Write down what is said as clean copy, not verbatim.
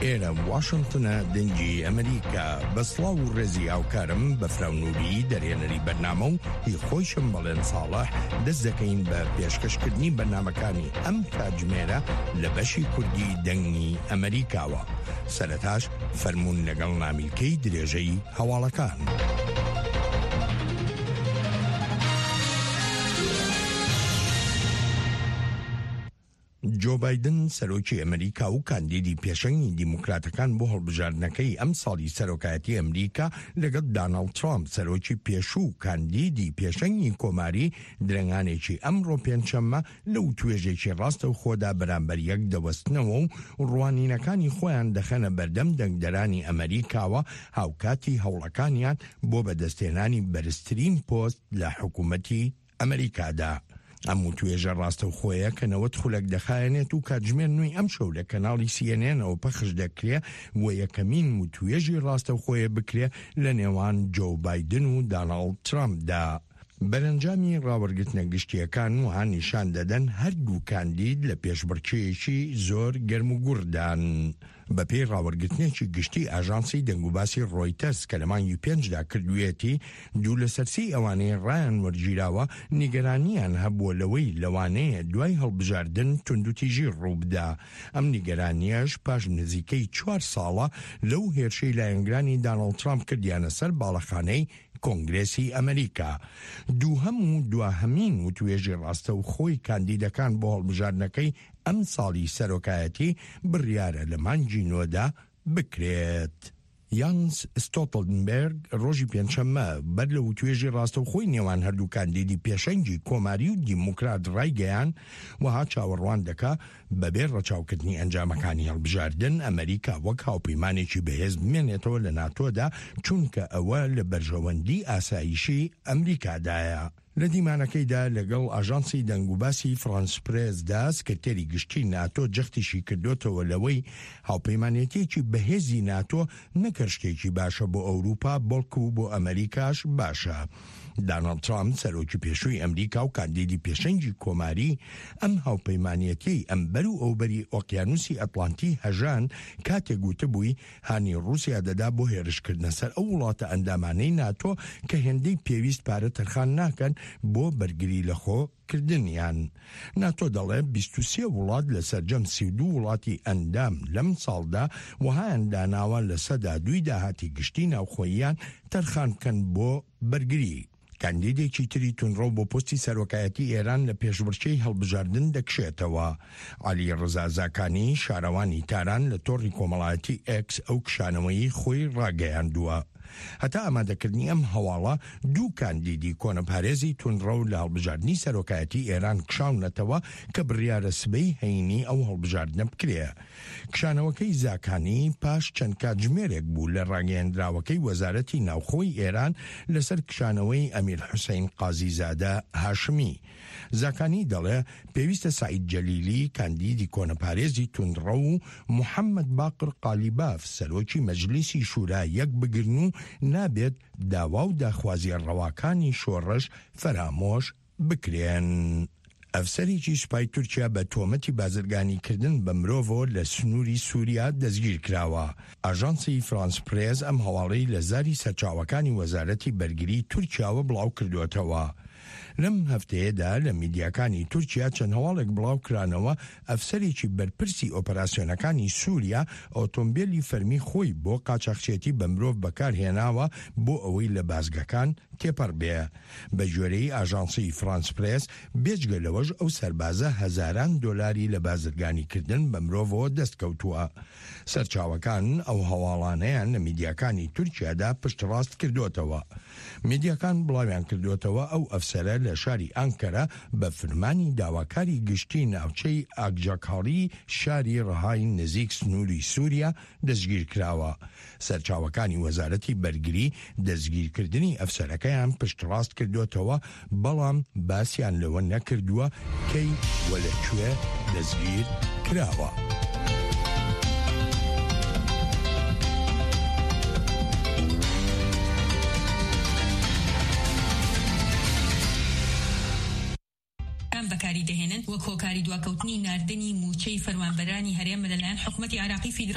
ئێرە واشنتنە دەنگی ئەمریکا بە سڵاو و ڕێزی هاوکارم بەفراو نوری دەرهێنەری بەرنامە و هی خۆیشم بەڵێن ساڵح دەست دەکەین بە پێشکەشکردنی بەرنامەکانی ئەم کاتژمێرە لە بەشی کوردی دەنگی ئەمریکاوە سەرەتاش فەرموون لەگەڵ نامیلکەی درێژەی هەواڵەکان. جۆ بایدن، سەرۆکی ئەمریکا و کاندیدی پێشەنگی دیموکراتەکان بۆ هەڵبژاردنەکەی ئەمساڵی سەرۆکایەتی ئەمریکا لەگەڵ داناڵد ترامپ، سەرۆکی پێشوو و کاندیدی پێشەنگی کۆماری، درەنگانێکی ئەمڕۆ پێنجشەممە لە وتوێژێکی ڕاستەوخۆدا بەرامبەر یەک دەوەستنەوە و ڕوانینەکانی خۆیان دەخەنە بەردەم دەنگدەرانی ئەمریکاوە هاوکاتی هەوڵەکانیان بۆ بەدەستهێنانی بەرزترین پۆست لە حکومەتی ئەمریکادا. ئەم وتوێژە ڕاستەوخۆیە کە 90 خولەک دەخایەنێت و کاتژمێر نوێی ئەمشەو لە کەناڵی سی ئێن ئێنەوە پەخش دەکرێ و یەکەمین وتوێژی ڕاستەوخۆیە بکرێ لە نێوان جۆو بایدن و داناڵد ترامپدا. بەرەنجامی ڕاوەرگرتنە گشتییەکان وەها نیشان دەدەن هەردوو کاندید لە پێشبڕکێیەکی زۆر گەرموگوڕدان. بەپێی ڕاوەرگرتنێکی گشتی ئاژانسی دەنگوباسی ڕۆیتەرز کە لە مانگی پێنجدا کردوویەتی، دوو لەسەر سێی ئەوانەی ڕایان وەرگیراوە نیگەرانییان هەبووە لەوەی لەوانەیە دوای هەڵبژاردن توندوتیژی ڕووبدا، ئەم نیگەرانییەش پاش نزیکەی چوار ساڵە لەو هێرشەی لایەنگرانی داناڵد ترامپ کردیانە سەر باڵەخانەی کۆنگرێسی ئەمریکا. دووهەم و دواهەمین وتوێژی ڕاستەوخۆی کاندیدەکان بۆ هەڵبژاردنەکەی ئەمساڵی سەرۆکایەتی بڕیارە لە مانگی نۆدا بکرێت. یانس ستۆتڵنبێرگ ڕۆژی پێنجشەممە بەر لە وتوێژی ڕاستەوخۆی نێوان هەردوو کاندیدی پێشەنگی کۆماری و دیموکرات ڕایگەیاند وەها چاوەڕوان دەکا بەبێ ڕەچاوکردنی ئەنجامەکانی هەڵبژاردن ئەمریکا وەک هاوپەیمانێکی بەهێز بمێنێتەوە لە ناتۆدا چونکە ئەوە لە بەرژەوەندی ئاسایشی ئەمریکادایە. لە دیمانەکەیدا لەگەڵ ئاژانسی دەنگوباسی فرانس پرێسدا، سکرتێری گشتی ناتۆ جەختیشی کردۆتەوە لەوەی هاوپەیمانێتیەکی بەهێزی ناتۆ نەک هەر شتێکی باشە بۆ ئەوروپا بەڵکو بۆ ئەمریکاش باشە. داناڵد ترامپ سەرۆکی پێشووی ئەمریکا و کاندیدی پێشەنگی کۆماری، ئەم هاوپەیمانێتیەی ئەمبەر و ئەوبەری ئۆقیانوسی ئەتڵانتی هەژاند کاتێک وتبووی هانی ڕووسیا دەدا بۆ هێرشکردنە سەر ئەو وڵاتە ئەندامانەی ناتۆ کە هێندەی پێویست پارە تەرخان ناکەن بۆ بەرگری لەخۆ کردنیان. ناتۆ دەڵێ 23 وڵات لە سەرجەم 32 وڵاتی ئەندام لەم ساڵدا وەهایان داناوە لەسەدا دووی داهاتی گشتی ناوخۆییان تەرخان بکەن بۆ بەرگری. کاندیدێکی تری توندڕەو بۆ پۆستی سەرۆکایەتی ئێران لە پێشبڕکێی هەڵبژاردن دەکشێتەوە. عەلی ڕەزا زاکانی، شارەوانی تاران لە تۆڕی کۆمەڵایەتی ئێکس ئەو کشانەوەیەی خۆی ڕاگەیاندووە. هەتا ئامادەکردنی ئەم هەواڵە، دوو کاندیدی کۆنەپارێزی توندڕەو لە هەڵبژاردنی سەرۆکایەتی ئێران کشاونەتەوە کە بڕیارە سبەی هەینی ئەو هەڵبژاردنە بکرێ. کشانەوەکەی زاکانی پاش چەند کاتژمێرێک بوو لە ڕاگەیەندراوەکەی وەزارەتی ناوخۆی ئێران لەسەر کشانەوەی ئەمیر حوسەین قازیزادە هاشمی. زاکانی دەڵێ پێویستە سەعید جەلیلی کاندیدی کۆنەپارێزی توندڕەو و محەممەد باقر قالیباف سەرۆکی مەجلیسی شورا یەک بگرن و نابێت داوا و داخوازیە ڕەواکانی شۆڕش فەرامۆش بکرێن. ئەفسەرێکی سوپای تورکیا بە تۆمەتی بازرگانیکردن بە مرۆڤەوە لە سنووری سووریا دەستگیرکراوە. ئاژانسی فرانس پرێس ئەم هەواڵەی لە زاری سەرچاوەکانی وەزارەتی بەرگری تورکیاوە بڵاوکردووەتەوە. لەم هەفتەیەدا لە میدیاکانی تورکیا چەند هەواڵێک بڵاوکرانەوە، ئەفسەرێکی بەرپرسی ئۆپەراسیۆنەکانی سووریا ئۆتۆمبێلی فەرمی خۆی بۆ قاچاخچێتی بە مرۆڤ بەکارهێناوە بۆ ئەوەی لە بازگەکان تێپەڕ بێ. بەگوێرەی ئاژانسی فرانس پرێس، بێجگە لەوەش ئەو سەربازە هەزاران دۆلاری لە بازرگانیکردن بە مرۆڤەوە دەستکەوتووە. سەرچاوەکان ئەو هەواڵانەیان لە میدیاکانی تورکیادا پشتڕاست کردۆتەوە. میدیاکان بڵاویانکردۆتەوە ئەو ئەفسەرە لە شاری ئانکەرە بە فرمانی داواکاری گشتی ناوچەی ئاکجاکاڵی شاری ڕەهای نزیک سنووری سووریا دەستگیرکراوە. سەرچاوەکانی وەزارەتی بەرگری دەستگیرکردنی ئەفسەرەکەیان پشتڕاست کردۆتەوە، بەڵام باسیان لەوە نەکردووە کەی و لە کوێ دەستگیر کراوە. بەکاری دەهێنن وەک هۆکاری دواکەوتنی ناردنی مووچەی فەرمانبەرانی هەرێم لەلایەن حکومەتی عێراقی فیدراڵ.